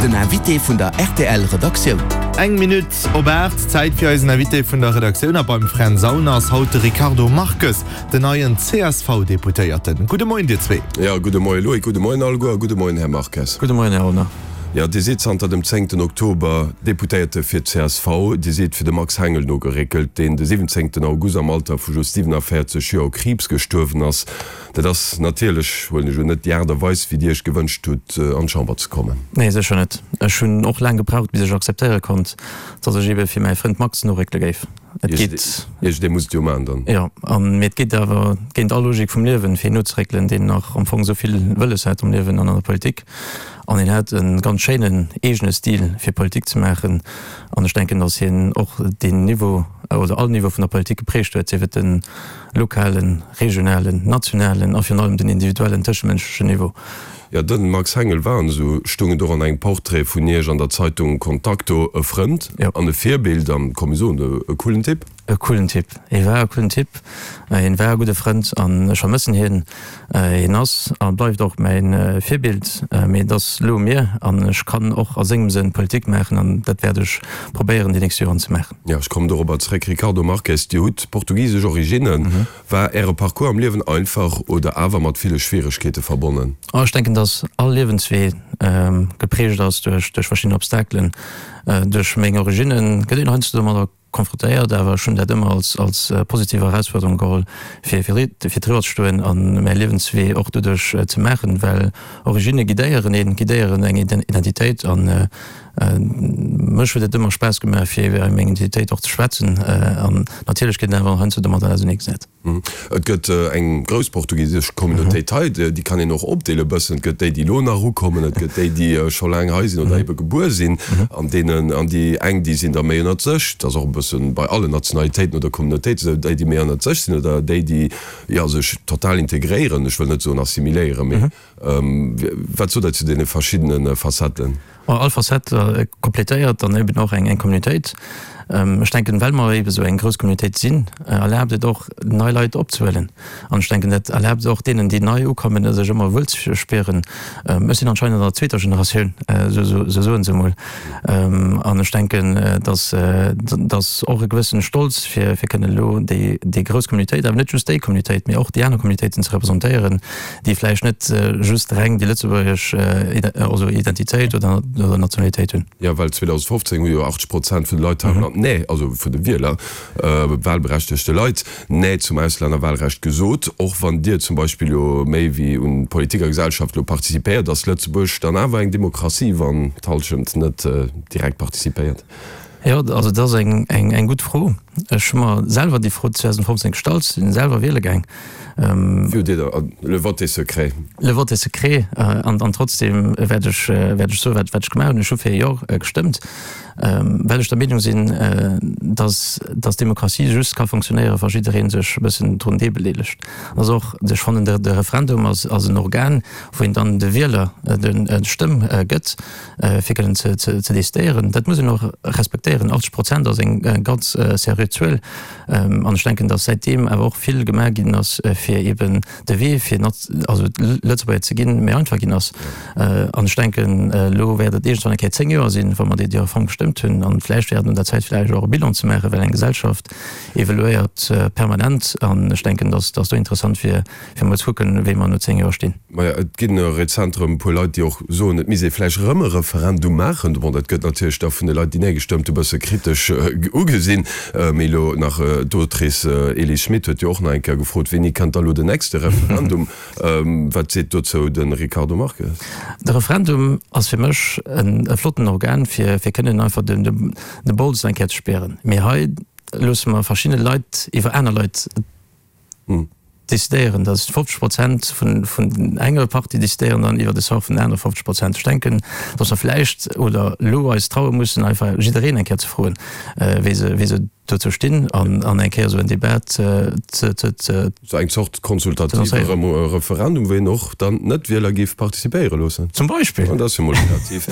Den Invité vun der rtl Redaktioun. Eng Minutt op 8, Zäit fir eisen Invité vun der Redaktioun. A beim Fränz Aulner ass haut de Ricardo Marques, den neien CSV-Deputéierten. Gudde Moien dir zwee. Jo, gudde Moie Loïc, gudde Moien alleguer a gudde Moien Här Marques. Gudde Moien Här Aulner. Jo, Dir sidd zanter dem zéngten Oktober Deputéierte fir d'CSV. Dir sidd fir de Max Hengel nogeréckelt, deen de siwwenzéngten August am Alter vu just 47 Joer u Kriibs gestuerwen ass. Dat ass natierlech, huelen ech un, net déi Aart a Weis, wéi Dir Iech gewënscht hutt, an d'Chamber ze kommen. Nee, sécher net. Ech hunn och laang gebraucht, bis ech akzeptéiere konnt, datt ech ebe fir mäi Frënd Max noréckele géif. Et geet. Iergendee muss et jo maachen dann. Jo, an mee et geet awer géint all Logik vum Liewen, fir een nozeréckelen, deen nach am Fong esou vill wëlles hat am Liewen an an der Politik. An hien hat e ganz schéinen eegene Stil, fir Politik ze maachen. An ech denken, datt hien och deen Niveau oder all Niveau vun der Politik geprägt huet, sief et de lokalen, regionalen, nationalen a virun allem den individuellen tëschemënschlechen Niveau. Jo, de Max Hengel war, an esou stung et och an engem Portrait vun Iech an der Zeitung Contacto, e Frënd an e Virbild an, komm mir soen, e coolen Typ. E coolen Typ. Hie war e coolen Typ, hien war e gudde Frënd an ech vermëssen hien. Hien ass a bleift och mäi Virbild, mee et ass elo u mir an ech kann och a sengem Sënn Politik maachen an dat wäert ech probéieren déi nächst Joren ze maachen. Jo, ech kommen dorobber zréck. Ricardo Marques, Dir hutt portugisesch Originnen. War Äre Parcours am Liewen einfach oder awer mat ville Schwieregkeete verbonnen? Ech denken, dass all Liewenswee geprägt ass duerch verschidden Obstakelen. Duerch meng Originne gëtt een heiansdo domadder konfrontéiert, awer ech hunn dat ëmmer als als positiv Erausfuerderung geholl, fir fir fir driwwer ze stoen a mäi Liewenswee och doduerch ze maachen, well Originne guidéieren een, guidéieren eng Identitéit an mech huet et ëmmer Spaass gemaach, fir iwwer meng Identitéit och ze schwätzen an natierlech gëtt een awer heiansdo domadder auserneegesat. Et gëtt eng grouss portugisesch Communautéit hei, déi kann een och opdeele bëssen. Et gëtt déi, déi elo nach ukommen, et gëtt déi, déi scho laang hei sinn oder ebe gebuer sinn. An deenen, an déi eng, déi sinn da méi ënnert sech, dat ass och e bëssen bei allen Nationalitéiten oder Communautéiten esou, déi, déi méi ënnert sech sinn oder déi, déi, jo, sech total integréieren, ech wëll net soen assimiléieren, mee Wat sot Der zu deene verschiddene Facetten? All Facette complétéiert dann eben och eng Communautéit. Ech denken, well mer eben esou eng grouss Communautéit sinn, erlaabt et och, nei Leit opzehuelen. An ech denken, dat erlaabt et och deenen, déi nei ukommen, sech ëmmer wuel ze spieren. Ech sinn anscheinend an der zweeter Generatioun, esou soen se emol. An ech denken, dass dass och e gewëssene Stolz, fir kënnen elo déi grouss Communautéit, awer net just déi Communautéit, mee och déi aner Communautéiten ze representéieren, déi vläicht net just reng déi lëtzebuergesch also Identitéit oder Nationalitéit hunn. Jo, well 2015 hu jo 80 Prozent vun de Leit hei am Land Nee, also vun de Wieler, wahlberechtegte Leit, Nee zum Auslännerwahlrecht gesot. Och wann Dir zum Beispill jo méi wéi un Politik a Gesellschaft elo participéiert, ass Lëtzebuerg dann awer eng Demokratie, wann d'Hallschent net direkt participéiert? Jo, also dat ass eng gutt Fro. Ech hu mer selwer déi Fro 2015 gestallt, sinn selwer wiele gaang. Wéi hutt Dir da, le vote est secret. Le vote est secret an trotzdem wäert ech wäert ech soen, wat ech gemaach hunn. Ech hu fir Jo gestëmmt, well ech der Meenung sinn, datt datt Demokratie just ka funktionéieren, wa jidderee sech e bëssen drun deelbedeelegt. Ass och, ech fannen de Referendum ass ass en Organ, wou een dann de Wieler d'Stëmm gëtt. fir kënnen ze decidéieren. Dat muss een och respektéieren. 80 Prozent ass eng ganz seriö Zuel. An ech denken, datt säitdeem awer och vill gemaach ginn ass, fir eeben de Wee fir also Lëtzebuerger ze ginn, méi einfach ginn ass. An ech denken, elo wäert et iergendwann eng Kéier 10 Joer sinn, wa mer déi Reform gestëmmt hunn. An vläicht wär et un der Zäit vläicht och e Bilan ze maachen, well eng Gesellschaft evoluéiert permanent. An ech denken, datt do interessant wier, fir emol ze kucken, wéi mer no 10 Joer stinn. Maja, et ginn rezent erëm e puer Leit, déi och soen, et misst ee vläicht erëm e Referendum maachen. Bon, dat gëtt natierlech da vun de Leit, déi Nee gestëmmt hu, bësse kritesch ugesinn. Mee elo nach d'Autrice Elise Schmit huet jo och nach eng Kéier gefrot, Wéini kënnt da lo den nächste Referendum? Wat seet dozou de Ricardo Marques? De Referendum ass fir mech e flotten Organ, fir kënnen einfach de Bols eng Kéier ze spieren. Mee hei loosse mer verschidde Leit iwwer aner Leit Decidéieren, datt 50 Prozent vun enger Partie decidéieren dann iwwer de Sort vun den anere 50 Prozent. Ech denken, datt mer vläicht oder elo eis traue mussen, einfach jiddereen eng Kéier ze froen, wéi se, wéi se. Dozou stinn an eng Kéier esou en Debat ze. Sou eng Zort konsultative Referendum, wou een och dann d'Net-Wieler géif participéiere loossen. Zum Beispill. Dat ass jo mol kreativ.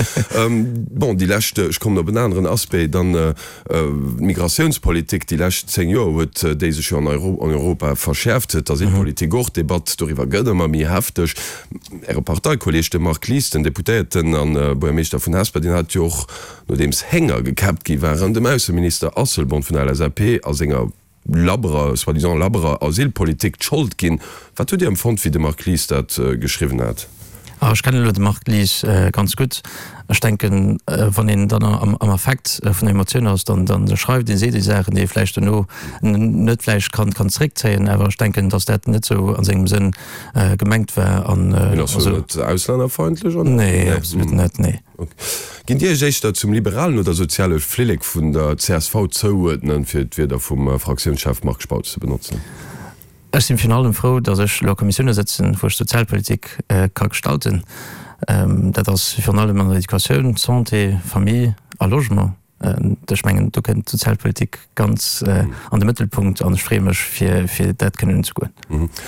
Bon, déi lescht, ech kommen op en aneren Aspect dann, d'Migratiounspolitik. Déi lescht 10 Joer huet déi sech jo an Europa verschäerft, d'Asylpolitik och. D'Debatt doriwwer gëtt ëmmer méi hefteg. Äre Parteikolleeg, de Marc Lies, den Deputéierten a Buergermeeschter vun Hesper, deen hat jo och, Nodeems Hénger gekäppt gi waren, dem Ausseminister Asselborn vun der LSAP a senger labberer, soi-disant labberer Asylpolitik d'Schold ginn. Wat hutt Dir empfonnt, wéi de Marc Lies dat geschriwwen hat? Ech kennen elo de Marc Lies ganz gutt. Ech denken, wann een dann am Affekt vun der Emotioun ass, dann schreift een, seet ee Saachen, déi ee vläicht dono net vläicht kann zeréckzéien. Awer ech denken, datt dat net esou a sengem Sënn gemengt war. Mee ass dat net auslännerfeindlech, oder? Nee, absolut net, nee. Ginn Dir Iech éischter zum liberalen oder soziale Flillek vun der csv zouuerdnen, fir d'Wierder vum Fraktiounschef Marc Spautz ze benotzen? Ech sinn virun allem frou, datt ech elo a Kommissioune sëtzen, wou ech d'Sozialpolitik ka gestalten. Dat ass virun allem an der Educatioun, Santé, Famille a Logement. Ech mengen, do kënnt d'Sozialpolitik ganz an de Mëttelpunkt an ech freeë mech, fir dat kënnen unzegoen.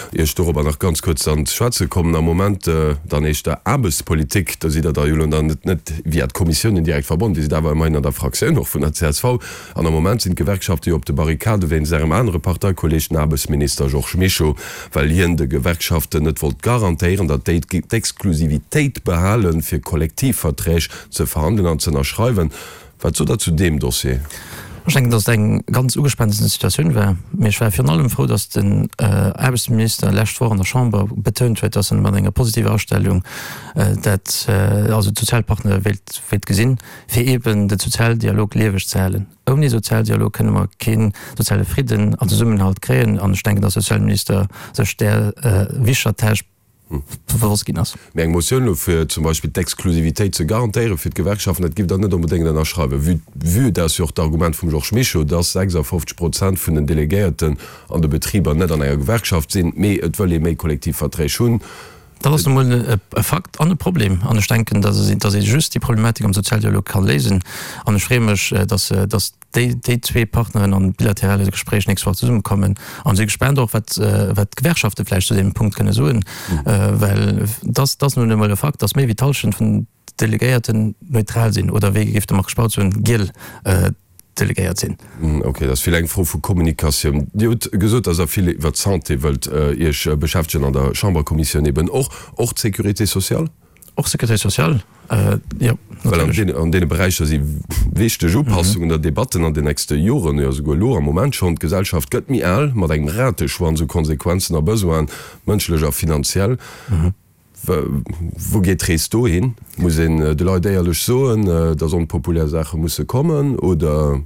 Ier ech dorobber nach ganz kuerz dann ze schwätze kommen, am Moment dann éischter Aarbechtspolitik, do sidd Der da jo elo dann net net via d'Kommissiounen direkt verbonnen, Dir sidd awer ëmmerhin an der Fraktioun och vun der csv. An am Moment sinn d'Gewerkschafte jo op de Barrikade wéinst Ärem anere Parteikolleeg, den Aarbechtsminister Georges Mischo, well hien de Gewerkschaften net wollt garantéieren, datt déi d'Exklusivitéit behalen, fir Kollektivverträg ze verhandelen an ze ënnerschreiwen. Wat sot Der zu deem Dossier? Ech denken, datt et eng ganz ugespaante Situatioun war. Mee ech war virun allem frou, datt den Aarbechtsminister lescht Woch an der Chamber betount huet, datt en mat enger positiver Astellung dat, also d'Sozialpartner wéilt, wéilt gesinn, fir eeben de Sozialdialog lieweg ze halen. Ouni Sozialdialog kënne mer kee soziale Fridden an Zesummenhalt kréien. An ech denken, datt de Sozialminister sech där wichtiger Tâche bewosst ginn ass. Mee eng Motioun elo fir zum Beispill d'Exklusivitéit ze garantéiere fir d'Gewerkschaften, dat giff Der net onbedéngt ënnerschreiwen, vue, vue dat ass jo och d'Argument vum Georges Mischo, dass 56 Prozent vun den Delegéierten an de Betriber net an enger Gewerkschaft sinn, mee et wëll ee méi Kollektivverträg hunn. Dat ass nu mol e Fakt an e Problem. An ech denken, dass ee just déi Problematik am Sozialdialog ka léisen. An ech freeë mech, dass, dass déi déi zwee Partneren an bilaterale Gespréich nächst Woch zesummekommen an si gespaant och wat wat d'Gewerkschafte vläicht zu deem Punkt kënne soen, well dass dass nun emol e Fakt, dass méi wéi d'Hallschent vun Delegéierten neutral sinn oder wéi géif de Marc Spautz soen, giel Delegéiert sinn. Ok, dat ass vill eng Fro vu Kommunikatioun. Dir hutt gesot, dass Der vill iwwert d'Santé wëllt Iech beschäftegen an der Chamberkommissioun eben och. Och d'Sécurité sociale? Och Sécurité sociale, jo, natierlech. Well an deene Beräicher si wichteg Upassungen oder Debatten an den nächste Joren, jo esouguer elo am Moment schonn. D'Gesellschaft gëtt méi al, mat engem Rateschwanz u Konsequenzen a Besoinen, mënschlech a finanziell. Wou geet d'Rees do hin? Muss een de Leit éierlech soen, datt onpopulär Saache musse kommen, oder?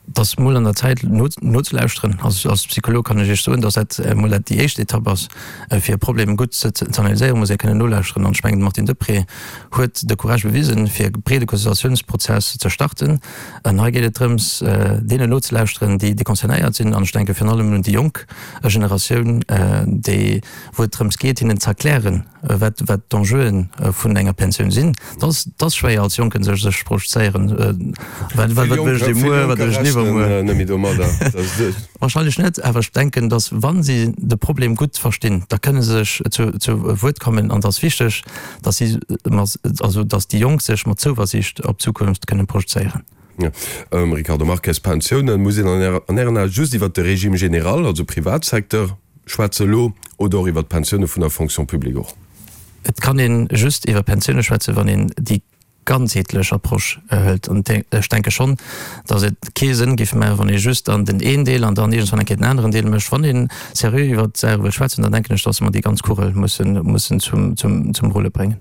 Et ass mol an der Zäit nozelauschteren. Als Psycholog kann ech Iech soen, datt dat mol dat déi éischt Etapp ass, fir e Problem gutt ze analyséieren, muss ee kënnen nolauschteren. An ech mengen, de Martine Deprez huet de Courage bewisen, fir e breede Consultatiounsprozess ze starten. An hei geet et drëms, deenen nozelauschteren, déi concernéiert sinn. An ech denke virun allem un déi jonk Generatioun, déi, wou et drëms geet, hinnen ze erklären, wat wat d'Enjeuen vun enger Pensioun sinn. Dat ass schwéier als Jonken sech sech projezéieren, wat wat wëll ech dee muer, wat wëll ech iwwermuer. Wahrscheinlech net, awer ech denken, datt wa si de Problem gutt verstinn, da kënne se sech zu zu Wuert kommen an et ass wichteg, datt si also datt déi Jonk sech mat Zouversiicht op d'Zukunft kënnen projezéieren. Ricardo Marques, Pensiounen, muss een an Ären Ae just iwwert de Régime général, also Privatsecteur, schwätze elo oder och iwwert d'Pensioune vun der Fonction publique och? Et kann ee just iwwer Pensioune schwätzen, wann een déi ganzheetlech Approche hëlt. An ech denke schonn, datt et kee Sënn géif maachen, wann ee just dann den een Deel an dann iergendwann eng Kéier den aneren Deel mécht. Wann ee seriö iwwert d'Saache wëll schwätzen, dann denken ech, datt mer déi ganz Kugel mussen zum Rulle bréngen.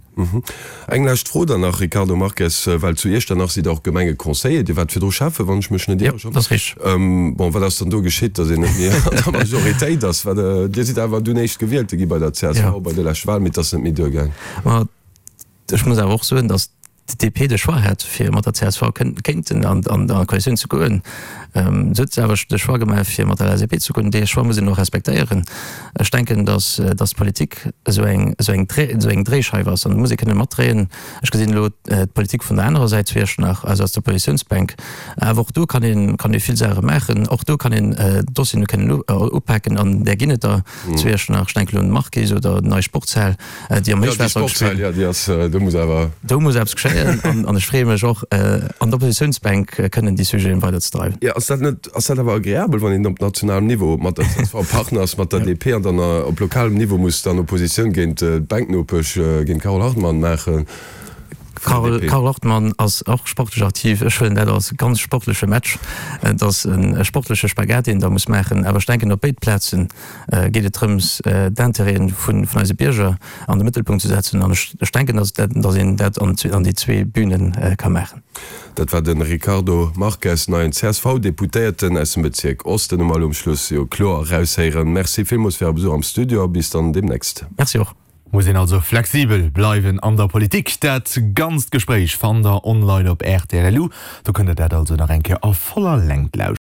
Eng lescht Fro dann nach, Ricardo Marques, well zu Iechternach sidd Der och Gemengeconseiller, Dir waart virdru Schäffe, wann ech mech net ieren. Jo, dat ass richteg. Bon, wat ass dann do geschitt, datt een net méi an der Majoritéit ass? Well Dir sidd awer dunn Éischtgewielte gi bei der csv bei der leschte Wahl, mee et ass net méi duergaang. Ma ech muss awer och soen, datt. d'DP de Choix hat, fir mat der csv kéinten an d'Koalitioun ze goen. Se huet awer de Choix gemaach, fir mat der LSAP ze goen. Dee Choix muss een och respektéieren. Ech denken, datt d'Politik esou eng Dréischeif ass an do muss ee kënne matdréien. Ech gesinn elo d'Politik vun der anerer Säit zu Iechternach, also aus der Oppositiounsbänk. Awer och do kann een, kann ee vill Saache maachen. Och do kann een Dossieren kënnen upaken an där ginn et der zu Iechternach. Ech denken elo un d'Markise oder déi nei Sportshal, déi am Héichwaasser geschéien. Ja, déi Sportshal, jo, déi ass, do muss awer. Do muss eppes geschéien an ech freeë mech och, an der Oppositiounsbänk kënnen déi Sujeten weiderzedreiwen. Jo, ass dat net, ass dat awer agreabel, wann een op nationalem Niveau mat der csv Partner ass, mat der DP an dann op lokalem Niveau muss dann Oppositioun géint d'Bänknopesch, géint d'Carole Hartmann maachen? Carole Hartmann ass och sportlech aktiv. Ech huelen dat als ganz sportleche Match. Et ass e sportleche Spagat, deen een da muss maachen. Awer ech denken, op béid Plaze geet et drëms, d'Intérêten vun eise Bierger an de Mëttelpunkt ze setzen. An ech denken, datt een dat an déi zwee Bühne ka maachen. Dat war de Ricardo Marques, neien CSV-Deputéierten aus dem Bezierk Osten. Hu mer elo um Schluss jo kloer eraushéieren. Merci villmools fir Äre Besuch am Studio a bis dann deemnächst. Merci och. Muss een also flexibel bleiwen an der Politik. Dat ganzt Gespréich fannt der online op rtl.lu. Do kënnt der dat also nach eng Kéier a voller Längt lauschteren.